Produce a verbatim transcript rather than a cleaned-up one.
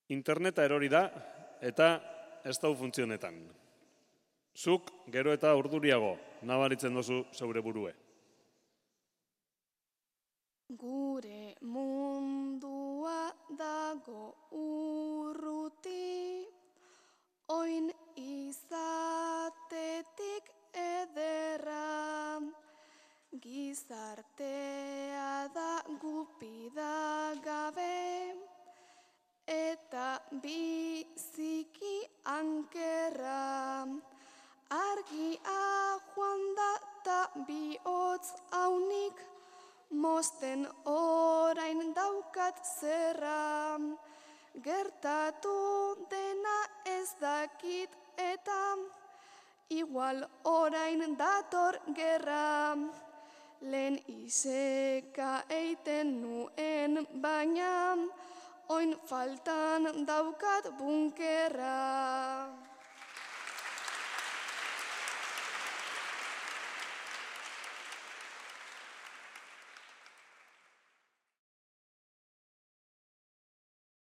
Interneta erori da eta ez dau funtzionetan. Zuk gero eta urduriago nabaritzen dozu zeure burue. Gure mundua dago urruti, oin izatetik ederra. Gizartea da gupida gabe, eta biziki ankerra. Argia joan da ta bihotz haunik, mosten orain daukat zerra. Gertatu dena ez dakit eta igual orain dator gerra. Lehen iseka eiten nuen baina, oin faltan daukat bunkerra.